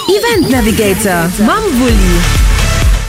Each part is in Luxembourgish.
Event Navigator mam Wulli.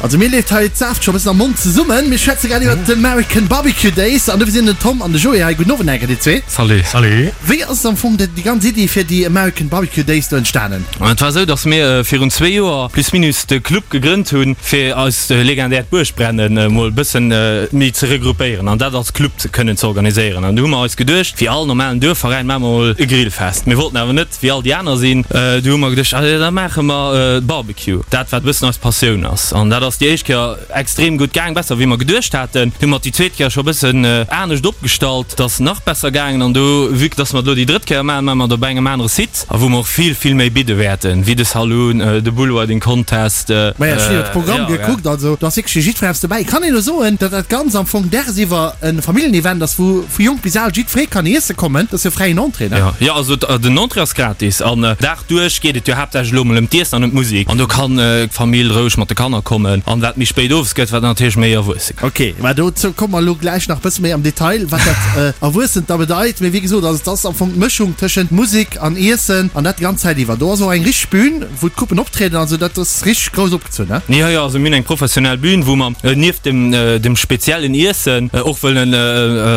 Also mir leeft hei d'Saaft scho bëssen am Mond zesummen. Mir schwätze grad iwwert d'American Barbecue Days an dofir sinn den Tom an de Joé hei. Gudden Owend enker dir zwee. Salut. Salut. Wéi ass am Fong déi ganz Iddi fir déi American Barbecue Days do entstanen? Et war esou, dass mir virun zwee Joer plus minus de Club gegrënnt hunn, fir eist legendäert Buergbrennen emol e bëssen méi ze regroupéieren an dat als Club kënnen ze organiséieren. An du hu mer eis geduecht, wéi all normalen Duerfveräin maache mer emol e Grillfest. Mir wollten awer net wéi all déi aner sinn. Du hu mer geduecht, allez, da maache mer Barbecue, dat wat e bëssen eis Passioun ass. An dat ass déi éischt Kéier extrem gutt gaang, besser wéi mer geduecht haten. Du hu mer déi zweet Kéier scho e bëssen anescht opgestallt, dat ass nach besser gaangen. An do, vue que dass mer et elo déi drëtt Kéier maachen, maache mer et op engem anere Site, a wou mer och vill, vill méi bidde wäerten, wéi de Saloon, de Bullriding Contest. Maja, ech hunn iwwer de Programm gekuckt, also do ass wierklech fir jiddweree eppes dobäi. Kann een elo soen, datt dat Ganzt am Fong dagsiwwer e Familljenevent ass, wou Vu jonk bis al, jiddweree kann iesse kommen, dat ass jo fräien Entrée, ne? Jo, jo, also den Entrée ass gratis an Dag duerch geet et jo haaptsächlech elo mol ëm d'Iessen an ëm d'Musek an do kann d'Famill roueg mat de Kanner kommen an wat méi spéit owes gëtt, wat natierlech méi Erwuesse. Ok, mä dozou komme mer elo gläich nach e bësse méi am Detail, wat dat Erwuessent da bedeit. Mee wéi gesot, also et ass am Fong d'Mëschung tëschent Musek an Iessen an dat déi ganz Zäit iwwer. Do ass och eng richteg Bühn, wou d'Gruppen optrieden, also dat ass richteg grouss opgezunn, ne? Jo, jo, also mir hunn eng professionell Bühn, wou mer nieft dem dem speziellen Iessen och wëllen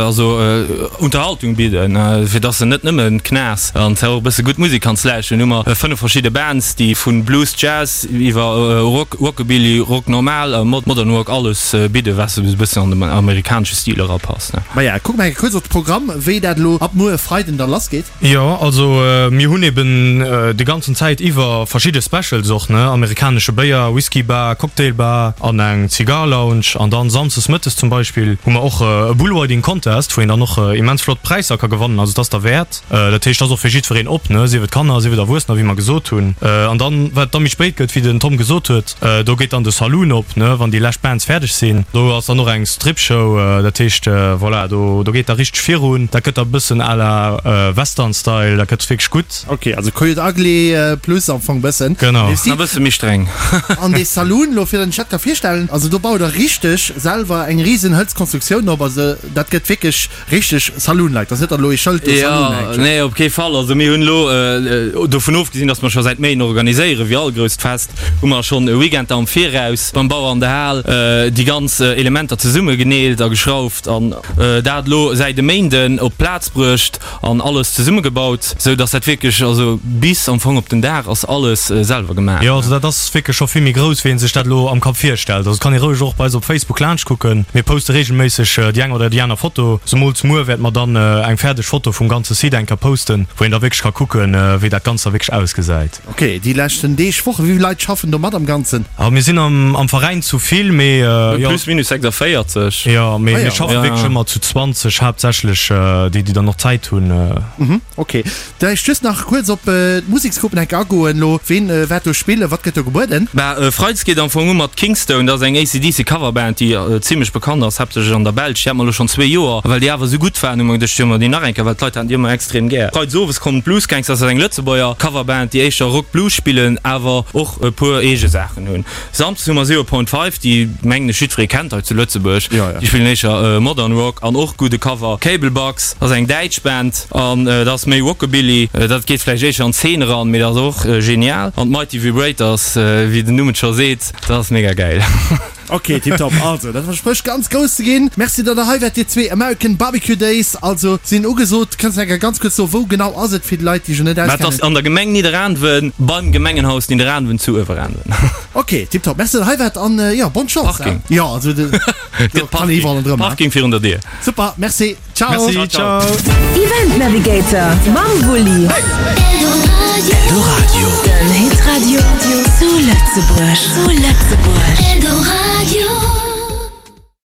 also Unterhaltung bidden, fir dass se net nëmmen Knaass an och e bësse gutt Musek kanns lauschteren. Hu mer 5 verschidde Bands, déi vu Blues, Jazz iwwer Rock, Rockabilly, Rock normal a Modern Rock alles bidden, wat esou e bëssen an den amerikanesche Stil erapasst, ne? Maja, kucke mer eng Kéier kuerz op de Programm, wéi dat elo ab muer Freiden da lassgeet. Jo, also mir hunn eben déi ganzen Zäit iwwer verschidde Specials och, ne, amerikanesche Béier, Whisky Bar, Cocktail Bar an eng Zigar Lounge. An dann samsdes mëttes zum Beispill hu mer och e Bullriding Contest, wou een dann och immens flott Präisser ka gewannen. Also et ass derwäert. Dat heescht, et ass och fir jiddwereen op, ne, sief et Kanner, sief et Erwuessener, wéi mer gesot hunn. An dann, wat da méi spéit gëtt, wéi den Tom gesot huet, Do geet dann de Saloon op, ne, wann déi lescht Bands fäerdeg sinn. Do ass dann och eng Strip-Show, dat heescht, voilà, do, do geet da richteg virun. Dat gëtt da e bëssen à la Western-Style, dat gëtt wierklech gutt. Ok, also Coyote Ugly plus am Fong bëssen. Genau. E bësse méi streng. An dee Saloon, lo fir datt een sech dat ka virstellen, also do baut der richteg selwer eng risen Hëlzkonstruktioun op, also dat gëtt wierklech Richteg Saloon-like, dat ass net datt elo ee Schëld do Saloon hänkt. Jo, nee, op kee Fall. Also mir hunn elo, dovun ofgesinn, datt mer scho säit Méint organiséieren, wéi all grousst Fest, hu mer schonn e Weekend am Viraus beim Bauer an der Hal déi ganz Elementer zesummegeneelt a geschrauft an dat elo säit e Méinden op d'Plaz bruecht an alles zesummegebaut, sou datt dat wierklech, also bis am Fong op den Dag ass alles selwer gemaach. Jo, also dat ass wierklech scho vill méi grouss, wéi ee sech dat elo am Kapp virstellt. Also et kann ee roueg och bei eis op Facebook laanscht kucken. Mir poste reegelméisseg déi eng oder déi aner Foto. Zemools muer wäerte mer dann eng fäerdeg Foto vum ganze Site eng Kéier posten, wou een da wierklech ka kucken, wéi dat Ganzt da wierklech ausgesäit. Ok, déi leschten Deeg, Wochen, wéi vill Leit schaffen do mat am Ganzen? A mir sinn am Veräin zu vill, mee jo. Plus minus 46. Jo, mee mir schaffe wierklech ëmmer zu 20, haaptsächlech déi, déi dann och Zäit hunn. Ok, Vläicht just nach kuerz op d'Museksgruppen enke agoen elo. Ween waert do spillen? Wat gëtt do gebueden? Bah, Freides geet am Fong u mat Kingstone. Dat ass eng AC/DC Coverband, déi zimlech bekannt ass, haaptsächlech an der Belsch. Déi hat mer elo schonn zwee Joer. A well déi awer esou gutt waren, hu mer geduecht, jo, mer déi nach eng Kéier, well d'Leit haten déi ëmmer extrem gär. Freides owes kommen d'Blues Gangs, dat ass eng Lëtzebuerger Coverband, déi éischter Rock Blues spillen, awer och e puer eege Saachen hunn. Samsdes hu mer Zero Point Five, déi mengen ech jiddweree kennt hei zu Lëtzebuerg. Déi spillen éischer Modern Rock an och gudde Cover. Cable Bugs ass eng däitsch Band an dat ass méi Rockabilly. Dat geet vläicht éischer an d'Zeen eran, mee dat ass och genial. An d'Mighty Vibrators, wéi den Numm et scho seet, dat ass mega gäil. Ok, tiptop. Also, dat versprécht ganz grouss ze ginn. Merci, datt der hei waart, dir zwee. American Barbecue Days also sinn ugesot. Kënns de enker ganz kuerz soen, wou genau ass et, fir déi Leit, déi sech net auskennen? Dat ass an der Gemeng Nidderaanwen, beim Gemengenhaus Nidderaanwen zu Ueweraanwen. Ok, tiptop. Merci, datt der hei waart an jo, bonne Chance. Parking. Jo, also do kann ee iwwerall ronderëm. Parking virun der Dier. Super, merci. Ciao. Merci, ciao. Event Navigator mam Wulli. Eldoradio. Den Hitradio zu Lëtzebuerg. Zu Lëtzebuerg.